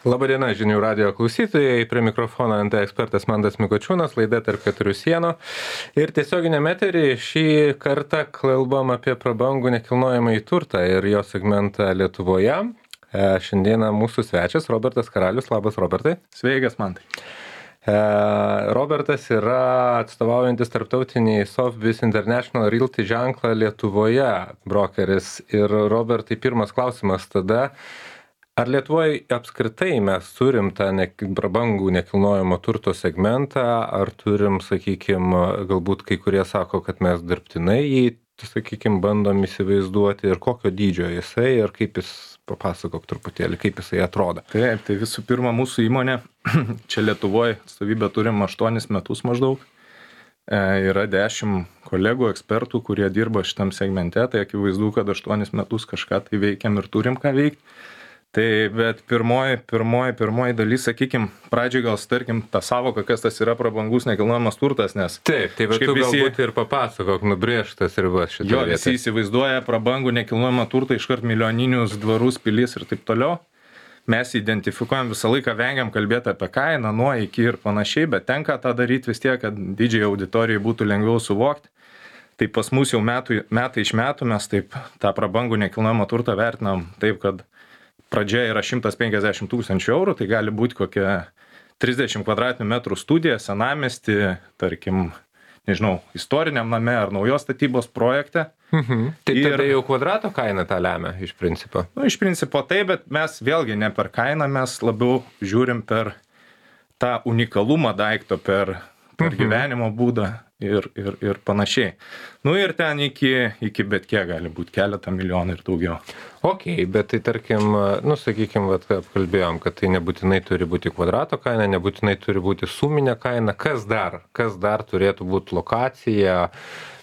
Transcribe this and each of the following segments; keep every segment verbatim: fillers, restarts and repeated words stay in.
Labadiena, žinių radijo klausytojai, prie mikrofono N T ekspertas Mantas Mikočiūnas, laida tarp keturių sienų. Ir tiesioginiame eteryje šį kartą kalbam apie prabangų nekilnojamąjį turtą ir jo segmentą Lietuvoje. E, šiandieną mūsų svečias Robertas Karalius. Labas, Robertai. Sveikas, Mantai. E, Robertas yra atstovaujantis tarptautinį Sotheby's International Realty ženklą Lietuvoje brokeris. Ir Robertai, pirmas klausimas tada. Ar Lietuvoje apskritai mes turim tą ne, prabangų nekilnojamo turto segmentą, ar turim, sakykime, galbūt kai kurie sako, kad mes dirbtinai jį, sakykime, bandom įsivaizduoti ir kokio dydžio jisai ir kaip jis, papasakok truputėlį, kaip jisai atrodo. Taip, tai visų pirma mūsų įmonė, čia Lietuvoje atstovybę turim aštuonis metus maždaug, e, yra dešimt kolegų, ekspertų, kurie dirba šitam segmente, tai akivaizdu, kad aštuonis metus kažką tai veikiam ir turim ką veikti. Tai bet pirmoji, pirmoji, pirmoji dalis, sakykime, pradžiai gal starkim tą savoką, kas tas yra prabangus nekilnojamas turtas, nes... Taip, tai bet tu visi, galbūt ir papasakok nubrėžtas ribas šitą jo, vietą. Visi įsivaizduoja prabangų nekilnojamą turtą iškart milijoninius dvarus, pilis ir taip toliau. Mes identifikuojam visą laiką, vengiam kalbėti apie kainą, nuo iki ir panašiai, bet tenka tą daryti vis tiek, kad didžiai auditorijai būtų lengviau suvokti. Tai pas mus jau metų, metai iš metų mes taip tą prabangų nekilnojamą turtą vertinam taip, kad pradžia yra šimtas penkiasdešimt tūkstančių eurų, tai gali būti kokia trisdešimt kvadratinių metrų studija, senamiesty, tarkim, nežinau, istoriniam name ar naujos statybos projekte. Mhm. Tai ir, tada jau kvadrato kaina tą lemia iš principo. Nu, iš principo tai, bet mes vėlgi ne per kainą, mes labiau žiūrim per tą unikalumą daikto, per, per mhm. gyvenimo būdą ir, ir, ir panašiai. Nu ir ten iki, iki bet kiek gali būti keletą milijonų ir daugiau. Ok, bet tai tarkim, nu sakykim, vat, apkalbėjom, kad tai nebūtinai turi būti kvadrato kaina, nebūtinai turi būti suminė kaina. Kas dar? Kas dar turėtų būti lokacija,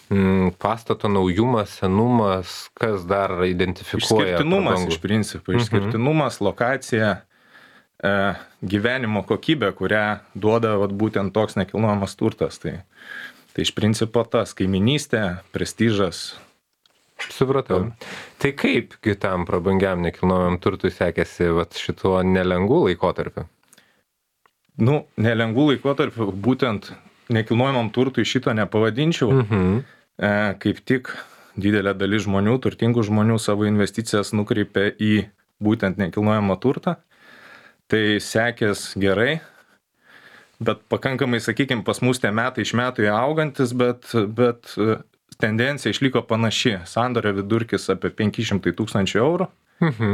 m, pastato naujumas, senumas, kas dar identifikuoja? Išskirtinumas prabangų? iš principo, išskirtinumas, mhm. lokacija, e, gyvenimo kokybė, kurią duoda vat, būtent toks nekilnojamas turtas. Tai, tai iš principo tas kaiminystė, prestižas. Supratau. Tai kaip kitam prabangiam nekilnojamam turtui sekėsi vat, šituo nelengvų laikotarpiu? Nu, nelengvų laikotarpiu būtent nekilnojamam turtui šito nepavadinčiau. Mhm. E, kaip tik didelė dalis žmonių, turtingų žmonių savo investicijas nukreipia į būtent nekilnojamą turtą. Tai sekės gerai, bet pakankamai, sakykime, pas mus tie metai iš metų augantis, bet, bet tendencija išliko panaši. Sandorio vidurkis apie penki šimtai tūkstančių eurų. Mhm.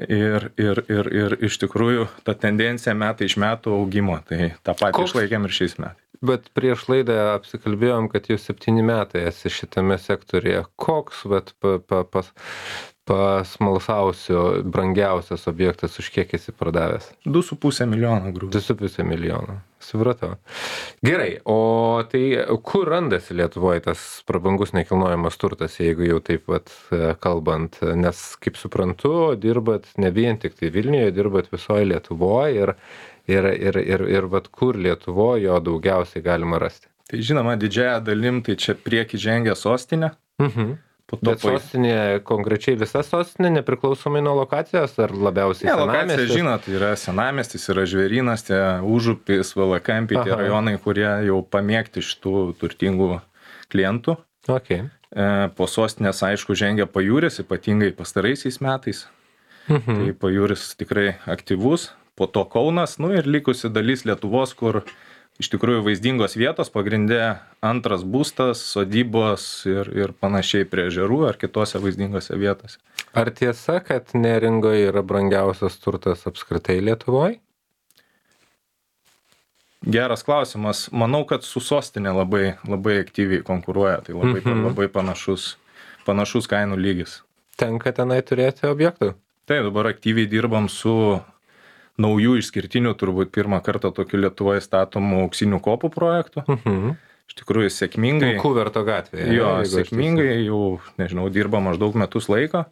Ir, ir, ir, ir iš tikrųjų ta tendencija metai iš metų augimo. Tai tą patį Koks? Išlaikėm ir šiais metais. Bet prieš laidą apsikalbėjom, kad jau septyni metai esi šitame sektorėje. Koks, bet pa, pa, pas, pasmalsausio, brangiausias objektas, už kiek esi pardavęs? du su puse milijono grūdų. du su puse milijono. Supratau. Gerai, o tai kur randasi Lietuvoje tas prabangus nekilnojamas turtas, jeigu jau taip vat kalbant? Nes, kaip suprantu, dirbat ne vien tik tai Vilniuje, dirbat visoje Lietuvoje ir, ir, ir, ir, ir vat kur Lietuvoje jo daugiausiai galima rasti? Tai žinoma, didžiąją dalim tai čia prieki žengia sostinė. Mhm. Bet sostinė, konkrečiai visa sostinė, nepriklausomai nuo lokacijos, ar labiausiai ne, senamiestis? Lokacija, žinot, yra senamiestis, yra Žvėrynas, tie Užupis, Valakampiai, tie rajonai, kurie jau pamėgti šitų turtingų klientų. Okay. E, po sostinės, aišku, žengia Pajūris, ypatingai pastaraisiais metais. Mhm. Tai Pajūris tikrai aktyvus, po to Kaunas, nu ir likusi dalis Lietuvos, kur iš tikrųjų vaizdingos vietos, pagrindė antras būstas, sodybos ir, ir panašiai prie ežerų ar kitose vaizdingose vietose. Ar tiesa, kad Neringoje yra brangiausias turtas apskritai Lietuvoje? Geras klausimas. Manau, kad su sostinė labai, labai aktyviai konkuruoja, tai labai, mhm. labai panašus, panašus kainų lygis. Tenka tenai turėti objektų? Taip, dabar aktyviai dirbam su naujų išskirtinių, turbūt pirmą kartą tokiu Lietuvoje statomų auksinių kopų projektų. Mhm. Iš tikrųjų, sėkmingai. Kuverto gatvėje. Jo, sėkmingai jau, nežinau, dirba maždaug metus laiko.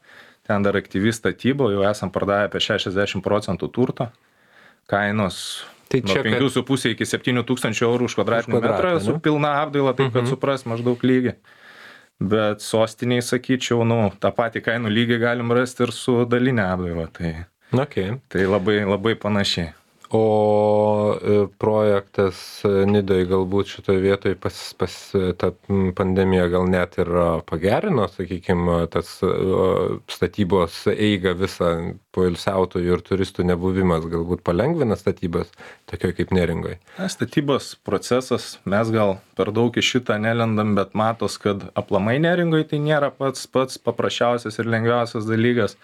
Ten dar aktyvi statyba, jau esam pardavę apie šešiasdešimt procentų turto. Kainos tai nuo penkių su puse iki septynių tūkstančių eurų už kvadratinį metrą su pilna apdaila, taip kad mhm. supras maždaug lygį. Bet sostiniai, sakyčiau, nu, tą patį kainų lygį galim rasti ir su dalinė apdaila. Tai Okay. Tai labai, labai panašiai. O projektas Nidoj galbūt šitoje vietoje pas, pas tą pandemiją gal net ir pagerino, sakykime, tas statybos eigą visą poilsiautojų ir turistų nebuvimas galbūt palengvina statybas, tokio kaip Neringoje? Na, statybos procesas, mes gal per daug į šitą nelendam, bet matos, kad aplamai Neringoje tai nėra pats, pats paprasčiausias ir lengviausias dalykas,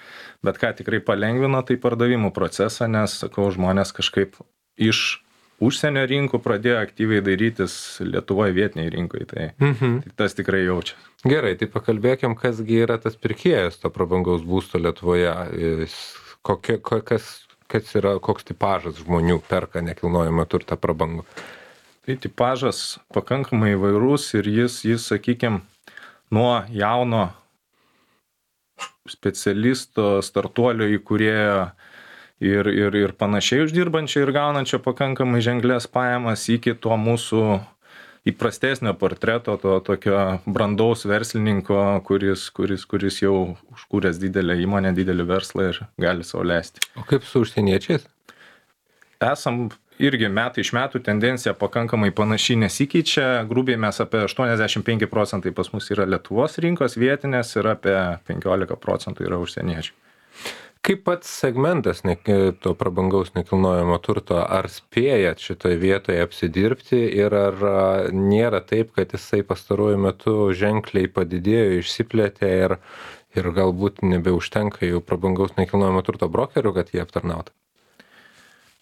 bet ką tikrai palengvino, tai pardavimų procesą, nes, sakau, žmonės kažkaip iš užsienio rinkų pradėjo aktyviai dairytis Lietuvoje vietiniai rinkai, tai, Mhm. tai tas tikrai jaučia. Gerai, tai pakalbėkim, kasgi yra tas pirkėjas to prabangaus būsto Lietuvoje. Kokia, kas, kas yra, koks tipažas žmonių perka nekilnojamą turtą prabangų? Tai tipažas pakankamai įvairus ir jis, jis sakykime, nuo jauno specialisto, startuolio įkūrėjo ir, ir, ir panašiai uždirbančio ir gaunančio pakankamai ženklės pajamas iki to mūsų įprastesnio portreto, to tokio brandaus verslininko, kuris, kuris, kuris jau užkūręs didelę įmonę, didelį verslą ir gali sau leisti. O kaip su užsieniečiais? Esam irgi metai iš metų tendencija pakankamai panašiai nesikeičia. Grubiai mes apie aštuoniasdešimt penki procentai pas mus yra Lietuvos rinkos vietinės ir apie penkiolika procentų yra užsieniečių. Kaip pats segmentas ne, to prabangaus nekilnojamo turto, ar spėjat šitoje vietoje apsidirbti ir ar nėra taip, kad jisai pastaruoju metu ženkliai padidėjo, išsiplėtė ir, ir galbūt nebeužtenka jau prabangaus nekilnojamo turto brokerių, kad jie aptarnautų?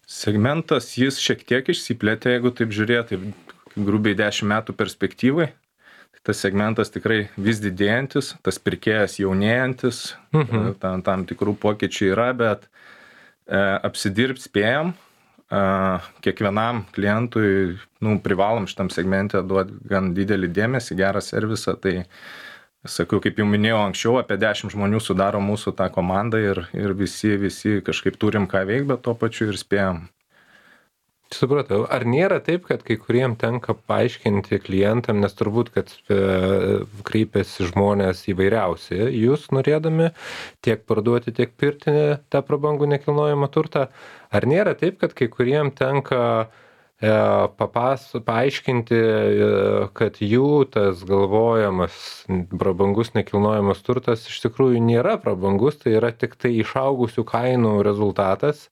Segmentas jis šiek tiek išsiplėtė, jeigu taip žiūrėti, grubiai dešimt metų perspektyvai. Tas segmentas tikrai vis didėjantis, tas pirkėjas jaunėjantis, mhm. tam, tam tikrų pokyčių yra, bet e, apsidirbt spėjam, e, kiekvienam klientui nu, privalom šitam segmente duoti gan didelį dėmesį, gerą servisą, tai sakau, kaip jau minėjau anksčiau, apie dešimt žmonių sudaro mūsų tą komandą ir, ir visi, visi kažkaip turim ką veikti, bet tuo pačiu ir spėjam. Supratau. Ar nėra taip, kad kai kuriem tenka paaiškinti klientam, nes turbūt, kad e, kreipiasi žmonės įvairiausi, jūs norėdami tiek parduoti, tiek pirkti tą prabangų nekilnojamą turtą, ar nėra taip, kad kai kuriem tenka e, papas, paaiškinti, e, kad jų tas galvojamas prabangus nekilnojamas turtas iš tikrųjų nėra prabangus, tai yra tik tai išaugusių kainų rezultatas.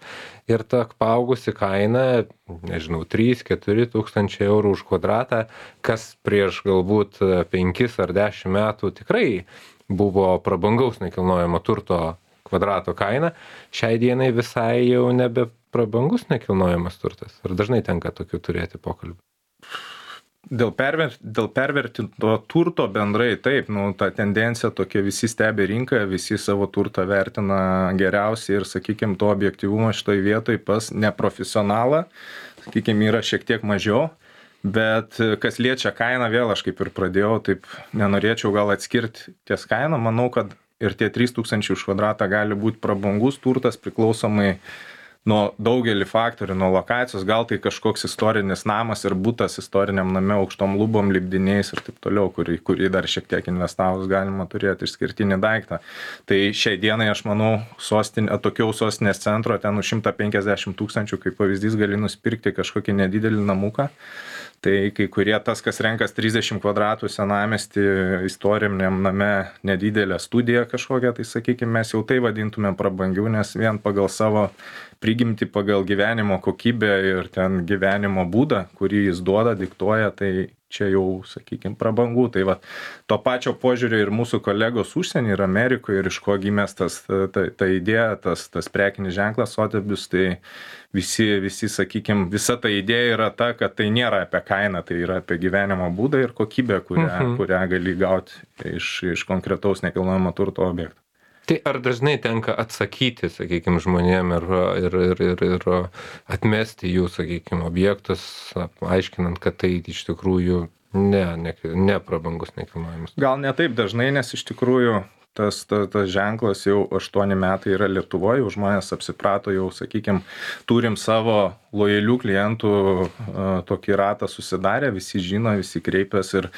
Ir ta paaugusi kaina, nežinau, trys keturi tūkstančiai eurų už kvadratą, kas prieš galbūt penkis ar dešimt metų tikrai buvo prabangaus nekilnojamo turto kvadrato kaina, šiai dienai visai jau nebe prabangus nekilnojamas turtas. Ar dažnai tenka tokių turėti pokalbių? Dėl, perver, dėl pervertinto turto bendrai taip, nu, ta tendencija tokia, visi stebi rinką, visi savo turtą vertina geriausiai ir, sakykime, to objektyvumo šitoj vietoj pas neprofesionalą, sakykime, yra šiek tiek mažiau, bet kas liečia kainą, vėl aš kaip ir pradėjau, taip nenorėčiau gal atskirti ties kainą, manau, kad ir tie trys tūkstančiai už kvadratą gali būti prabangus turtas priklausomai nuo daugelį faktorių, nuo lokacijos, gal tai kažkoks istorinis namas ir butas istoriniam name aukštom lubom, lipdiniais ir taip toliau, kurį, kurį dar šiek tiek investavus galima turėti išskirtinį daiktą. Tai šiai dienai aš manau, sostinė, atokiau sostinės centro, ten už šimtą penkiasdešimt tūkstančių, kaip pavyzdys, gali nusipirkti kažkokį nedidelį namuką. Tai kai kurie tas, kas renkas trisdešimt kvadratų senamiestį istoriniam name nedidelę studiją kažkokią, tai sakykime, mes jau tai vadintume prabangiau, nes vien pagal savo prigimti, pagal gyvenimo kokybę ir ten gyvenimo būdą, kurį jis duoda, diktuoja, tai čia jau, sakykime, prabangų. Tai va, to pačio požiūrio ir mūsų kolegos užsienį ir Amerikoje, ir iš ko gimęs tas, ta, ta, ta idėja, tas, tas prekinis ženklas Sotheby's, tai visi, visi, sakykime, visa ta idėja yra ta, kad tai nėra apie kainą, tai yra apie gyvenimo būdą ir kokybę, kurią, mhm. kurią gali gauti iš, iš konkretaus nekilnojamo turto objekto. Tai ar dažnai tenka atsakyti, sakykime, žmonėm ir, ir, ir, ir, ir atmesti jų, sakykime, objektus, aiškinant, kad tai iš tikrųjų ne, ne, ne prabangus nekilnojamas? Gal ne taip dažnai, nes iš tikrųjų tas, tas, tas ženklas jau aštuoni metai yra Lietuvoje, jau žmonės apsiprato, jau, sakykime, turim savo lojalių klientų tokį ratą susidarę, visi žino, visi kreipiasi ir,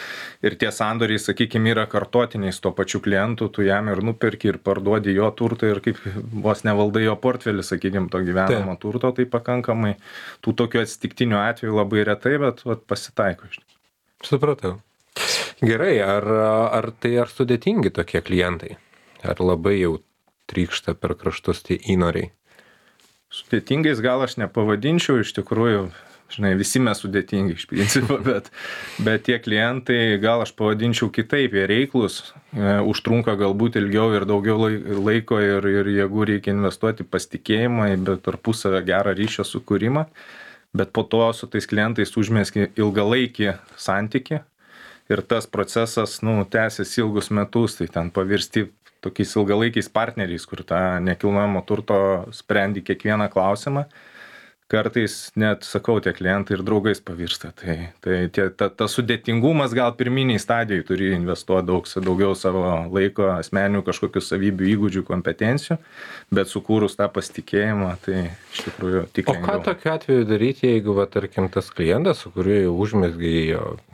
ir tie sandoriai, sakykime, yra kartotiniai su to pačiu klientu, tu jam ir nuperki ir parduodi jo turtą ir kaip vos nevaldai jo portfelį, sakykime, to gyvenamo turto, tai pakankamai tų tokių atsitiktinių atvejų labai retai, bet vat, pasitaiko iš tikrųjų. Supratau. Gerai, ar, ar tai ar sudėtingi tokie klientai? Ar labai jau trykšta per kraštus tie įnoriai? Sudėtingais gal aš nepavadinčiau, iš tikrųjų, žinai, visi mes sudėtingi iš principo, bet, bet tie klientai gal aš pavadinčiau kitaip, jie reiklus, e, užtrunka galbūt ilgiau ir daugiau laiko ir, ir jėgų reikia investuoti pasitikėjimą, bet tarpusavio gerą ryšio sukūrimą, bet po to su tais klientais užmėski ilgalaikį santykį. Ir tas procesas, nu, tęsiasi ilgus metus, tai ten pavirsti tokiais ilgalaikiais partneriais, kur tą nekilnojamo turto sprendi kiekvieną klausimą. Kartais net, sakau, tie klientai ir draugais pavirsta. Tai, tai tie, ta, ta sudėtingumas gal pirminiai stadijai turi investuoti daug, daugiau savo laiko, asmeninių kažkokių savybių, įgūdžių, kompetencijų, bet sukūrus tą pasitikėjimą, tai iš tikrųjų tik lengviau. O ką tokiu atveju daryti, jeigu, va, tarkim, tas klientas, su kuriuo jau užmezgai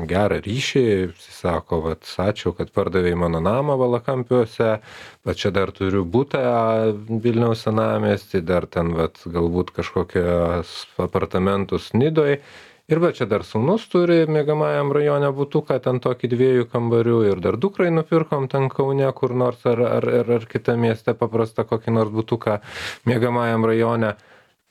gerą ryšį, sako, va, ačiū, kad pardavėjai mano namą Valakampiuose, bet čia dar turiu butą Vilniaus senamiestį, dar ten, va, galbūt kažkokią apartamentus Nidoj ir va čia dar sūnus turi miegamajam rajone butuką, ten tokį dviejų kambarių ir dar dukrai nupirkom ten Kaune kur nors ar, ar, ar, ar kitą miestę paprastą kokį nors butuką miegamajam rajone.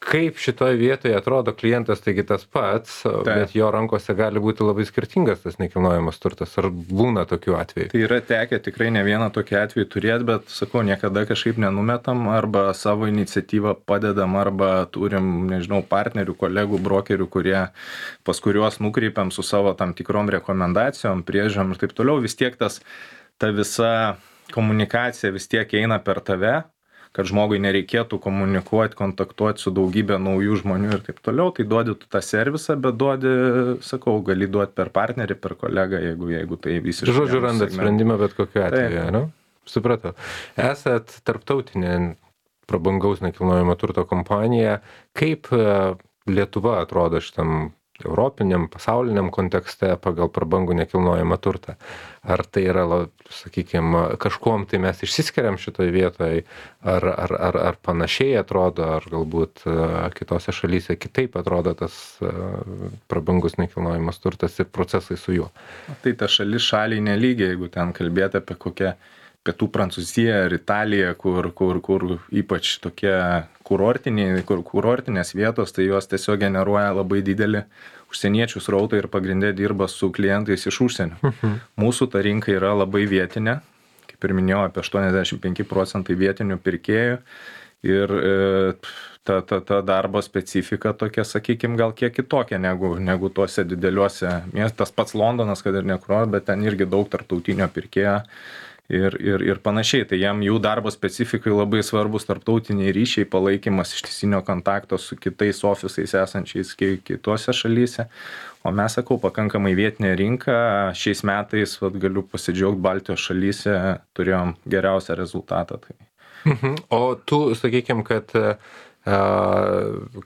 Kaip šitoje vietoje atrodo klientas, taigi tas pats, Taip. bet jo rankose gali būti labai skirtingas tas nekilnojamas turtas. Ar būna tokių atvejų? Tai yra tekę tikrai ne vieną tokį atvejį turėti, bet, sakau, niekada kažkaip nenumetam arba savo iniciatyvą padedam arba turim, nežinau, partnerių, kolegų, brokerių, kurie, pas kuriuos nukreipiam su savo tam tikrom rekomendacijom, priežiūrom ir taip toliau. Vis tiek tas, ta visa komunikacija vis tiek eina per tave, kad žmogui nereikėtų komunikuoti, kontaktuoti su daugybė naujų žmonių ir taip toliau, tai duodi tu tą servisą, bet duodi, sakau, gali duoti per partnerį, per kolegą, jeigu, jeigu tai visiškai... Žodžiu, randat sprendimą bet kokiu atveju, ne? Supratau. Esat tarptautinė prabangaus nekilnojamo turto kompanija. Kaip Lietuva atrodo šitam europiniam, pasauliniam kontekste pagal prabangų nekilnojamą turtą? Ar tai yra, sakykime, kažkuom tai mes išsiskiriam šitoje vietoje, ar, ar, ar, ar panašiai atrodo, ar galbūt kitose šalyse kitaip atrodo tas prabangus nekilnojamas turtas ir procesai su juo? Tai ta šalis šaliai nelygiai, jeigu ten kalbėti apie kokią Pietų Prancūziją ar Italiją, kur, kur, kur ypač tokie kurortiniai, kur kurortinės vietos, tai jos tiesiog generuoja labai didelį užsieniečių srautą ir pagrindė dirba su klientais iš užsienio. Mhm. Mūsų ta rinka yra labai vietinė, kaip ir minėjau, apie aštuoniasdešimt penki procentai vietinių pirkėjų ir e, ta, ta, ta darbo specifika tokia, sakykime, gal kiek kitokia negu, negu tuose dideliuose miestas. Tas pats Londonas, kad ir nekur, bet ten irgi daug tarptautinio pirkėjo. Ir, ir, ir panašiai, tai jam jų darbo specifikai labai svarbus tarptautiniai ryšiai, palaikymas ištisinio kontakto su kitais ofisais esančiais kitose šalyse. O mes, sakau, pakankamai vietinė rinka, šiais metais, vat, galiu pasidžiaugti, Baltijos šalyse turėjom geriausią rezultatą. Tai. Mhm. O tu, sakykime, kad, a,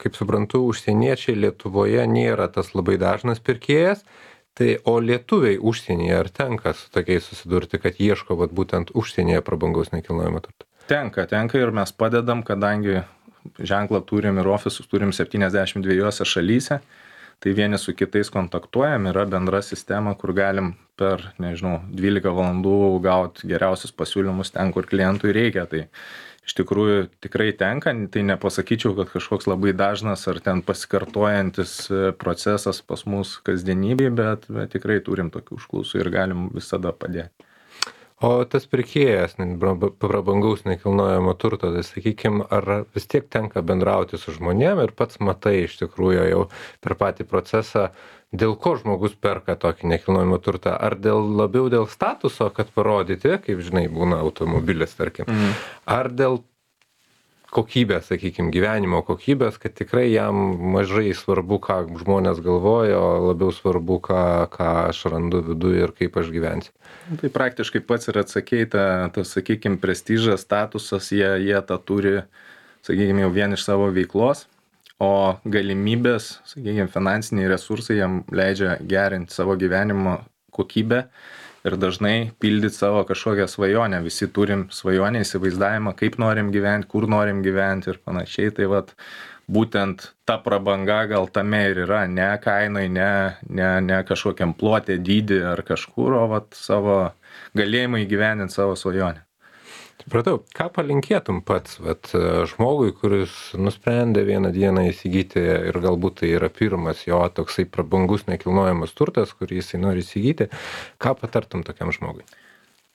kaip suprantu, užsieniečiai Lietuvoje nėra tas labai dažnas pirkėjas. Tai o lietuviai užsienyje, ar tenka su tokiais susidurti, kad ieško vat, būtent užsienyje prabangaus nekilnojamo turto? Tenka, tenka ir mes padedam, kadangi ženklą turim ir ofisus turim septyniasdešimt dviejose šalyse, tai vieni su kitais kontaktuojam, yra bendra sistema, kur galim per, nežinau, dvylika valandų gauti geriausius pasiūlymus ten, kur klientui reikia. Tai iš tikrųjų tikrai tenka, tai nepasakyčiau, kad kažkoks labai dažnas ar ten pasikartojantis procesas pas mus kasdienybėje, bet, bet tikrai turim tokių užklausų ir galim visada padėti. O tas pirkėjas prabangaus nekilnojamo turto, tai sakykime, ar vis tiek tenka bendrauti su žmonėm ir pats matai iš tikrųjų jau per patį procesą, dėl ko žmogus perka tokį nekilnojamą turtą? Ar dėl, labiau dėl statuso, kad parodyti, kaip žinai, būna automobilis, tarkim, mhm. ar dėl kokybės, sakykime, gyvenimo kokybės, kad tikrai jam mažai svarbu, ką žmonės galvoja, o labiau svarbu, ką, ką aš randu viduje ir kaip aš gyvensiu. Tai praktiškai pats ir atsakei, ta, ta sakykime, prestižas, statusas, jie, jie tą turi, sakykime, jau vien iš savo veiklos, o galimybės, sakykime, finansiniai resursai jam leidžia gerinti savo gyvenimo kokybę ir dažnai pildyti savo kažkokią svajonę. Visi turim svajonę, įsivaizdavimą, kaip norim gyventi, kur norim gyventi ir panašiai. Tai vat, būtent ta prabanga gal tame ir yra, ne kainai, ne, ne, ne kažkokiam plotė dydį ar kažkur, o vat, savo galėjimą įgyvendinti savo svajonę. Supratau, ką palinkėtum pats vat, žmogui, kuris nusprendė vieną dieną įsigyti ir galbūt tai yra pirmas jo toksai prabangus nekilnojamas turtas, kurį jisai nori įsigyti, ką patartum tokiam žmogui?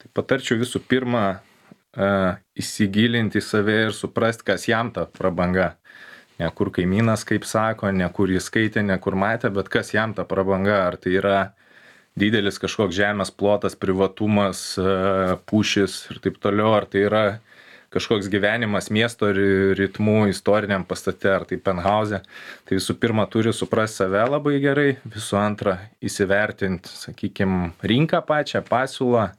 Tai patarčiau visų pirma uh, įsigilinti į save ir suprasti, kas jam ta prabanga. Ne kur kaimynas, kaip sako, ne kur jis skaitė, ne kur matė, bet kas jam ta prabanga. Ar tai yra didelis kažkoks žemės plotas, privatumas, pušis ir taip toliau, ar tai yra kažkoks gyvenimas miesto ritmų istoriniam pastate, ar tai penthause. Tai visų pirma turi suprasti save labai gerai, visų antra įsivertinti, sakykime, rinką pačią, pasiūlą,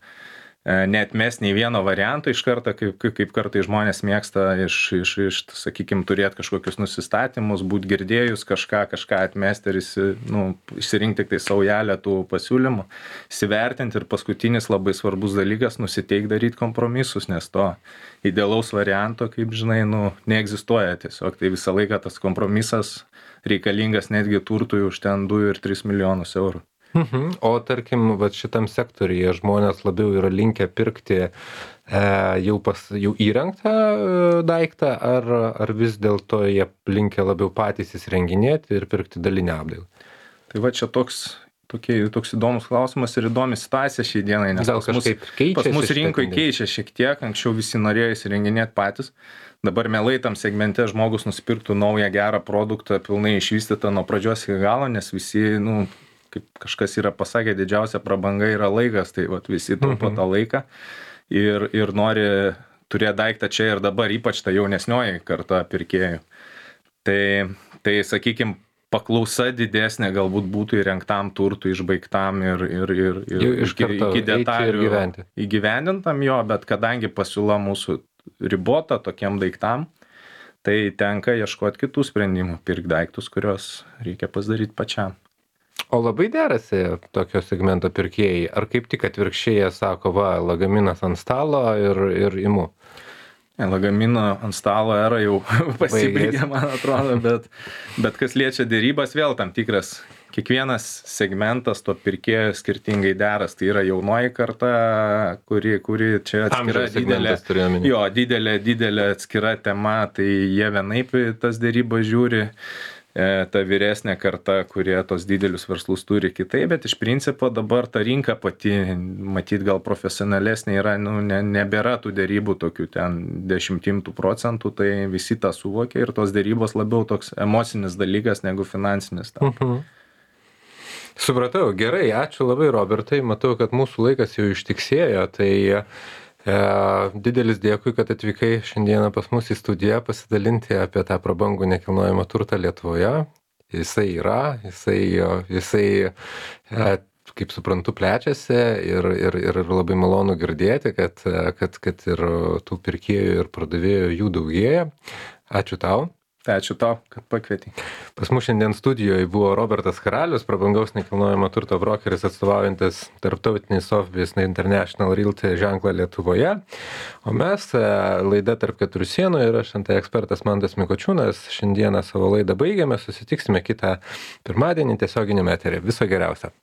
neatmes nei vieno varianto iš karto, kaip, kaip kartai žmonės mėgsta iš, iš, iš sakykime, turėti kažkokius nusistatymus, būti girdėjus kažką, kažką atmesti ir nu, išsirinkti tik tai saujelę tų pasiūlymų, įsivertinti ir paskutinis labai svarbus dalykas, nusiteik daryti kompromisus, nes to idealaus varianto, kaip žinai, nu, neegzistuoja tiesiog, tai visą laiką tas kompromisas reikalingas netgi turtui už ten du ir tris milijonus eurų. Mhm. O tarkim, vat šitam sektoriuje žmonės labiau yra linkę pirkti e, jau, pas, jau įrengtą e, daiktą, ar, ar vis dėlto jie linkę labiau patys įsirenginėti ir pirkti dalinę apdailą? Tai va čia toks, tokie, toks įdomus klausimas ir įdomi situacija šiai dienai, nes Gal pas mus, pas mus rinkoje keičia šiek tiek, anksčiau visi norėjo įsirenginėti patys. Dabar mielai tam segmente žmogus nusipirktų naują gerą produktą, pilnai išvystytą nuo pradžios iki galo, nes visi, nu, kaip kažkas yra pasakę, didžiausia prabanga yra laikas, tai vat, visi taupo tą laiką ir, ir nori turėti daiktą čia ir dabar, ypač ta jaunesnioji karta pirkėjų. Tai, tai sakykime, paklausa didesnė galbūt būtų įrengtam turtui, išbaigtam ir, ir, ir, ir iš iki, iki detalių įgyvendintam jo, bet kadangi pasiūla mūsų ribota tokiem daiktam, tai tenka ieškoti kitų sprendimų, pirkti daiktus, kuriuos reikia pasidaryti pačiam. O labai derasi tokio segmento pirkėjai, ar kaip tik atvirkščiai sako, va, lagaminas ant stalo ir, ir imu? Ne, lagamino ant stalo era jau pasibaigė, man atrodo, bet, bet kas liečia dėrybas, vėl tam tikras, kiekvienas segmentas to pirkėjo skirtingai deras, tai yra jaunoji karta, kuri, kuri čia atskira didelė, jo, didelė, didelė atskira tema, tai jie vienaip tas dėrybas žiūri. Ta vyresnė karta, kurie tos didelius verslus turi kitai, bet iš principo dabar ta rinka pati, matyt, gal profesionalesnė yra, nu, ne, nebėra tų dėrybų tokių ten dešimtimtų procentų, tai visi tą suvokia ir tos dėrybos labiau toks emocinis dalykas negu finansinis. Mhm. Supratau, gerai, ačiū labai, Robertai, matau, kad mūsų laikas jau ištiksėjo, tai E, didelis dėkui, kad atvykai šiandieną pas mus į studiją pasidalinti apie tą prabangų nekilnojamą turtą Lietuvoje. Jisai yra, jisai, jisai e, kaip suprantu, plečiasi ir, ir, ir labai malonu girdėti, kad, kad, kad ir tų pirkėjų ir pardavėjų jų daugėja. Ačiū tau. Tai ačiū tau, kad pakvietei. Pas mus šiandien studijoje buvo Robertas Karalius, prabangaus nekilnojamo turto brokeris atstovaujantis tarptautinį Sotheby's International Realty ženklą Lietuvoje. O mes, laida Tarp keturių sienų ir aš nt ekspertas Mantas Mikočiūnas, šiandieną savo laidą baigiame, susitiksime kitą pirmadienį tiesioginiame eteryje. Viso geriausio.